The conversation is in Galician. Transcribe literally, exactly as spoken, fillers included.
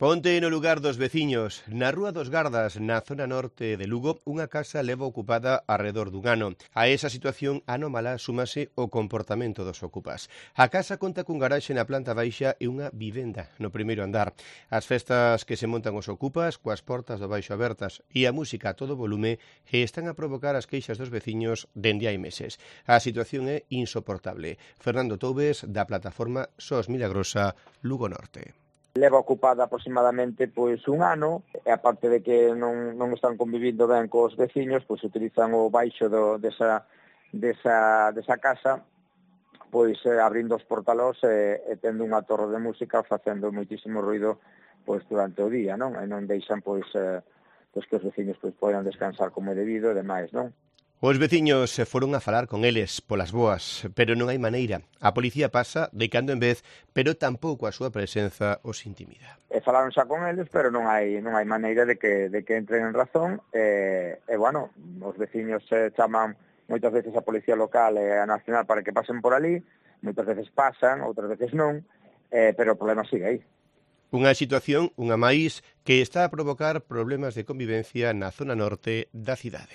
Ponte no lugar dos veciños. Na Rúa dos Gardas, na zona norte de Lugo, unha casa leva ocupada arredor dun ano. A esa situación anómala súmase o comportamento dos ocupas. A casa conta cun garaxe na planta baixa e unha vivenda no primeiro andar. As festas que se montan os ocupas, coas portas do baixo abertas e a música a todo volume, están a provocar as queixas dos veciños dende hai meses. A situación é insoportable. Fernando Toubes, da plataforma SOS Milagrosa, Lugo Norte. Leva ocupada aproximadamente pois un ano, e aparte de que non, non están convivindo ben cos veciños, pois utilizan o baixo do, desa, desa, desa casa, pois eh, abrindo os portalós e, e tendo unha torre de música facendo moitísimo ruido pois durante o día, non? E non deixan pois, eh, pois que os veciños pois poidan descansar como é debido e demais, non? Os veciños se foron a falar con eles polas boas, pero non hai maneira. A policía pasa de cando en vez, pero tampouco a súa presenza os intimida. E falaron xa con eles, pero non hai non hai maneira de que de que entren en razón e, e bueno, os veciños se chaman moitas veces a policía local e a nacional para que pasen por ali, moitas veces pasan, outras veces non, eh, pero o problema sigue aí. Unha situación, unha máis, que está a provocar problemas de convivencia na zona norte da cidade.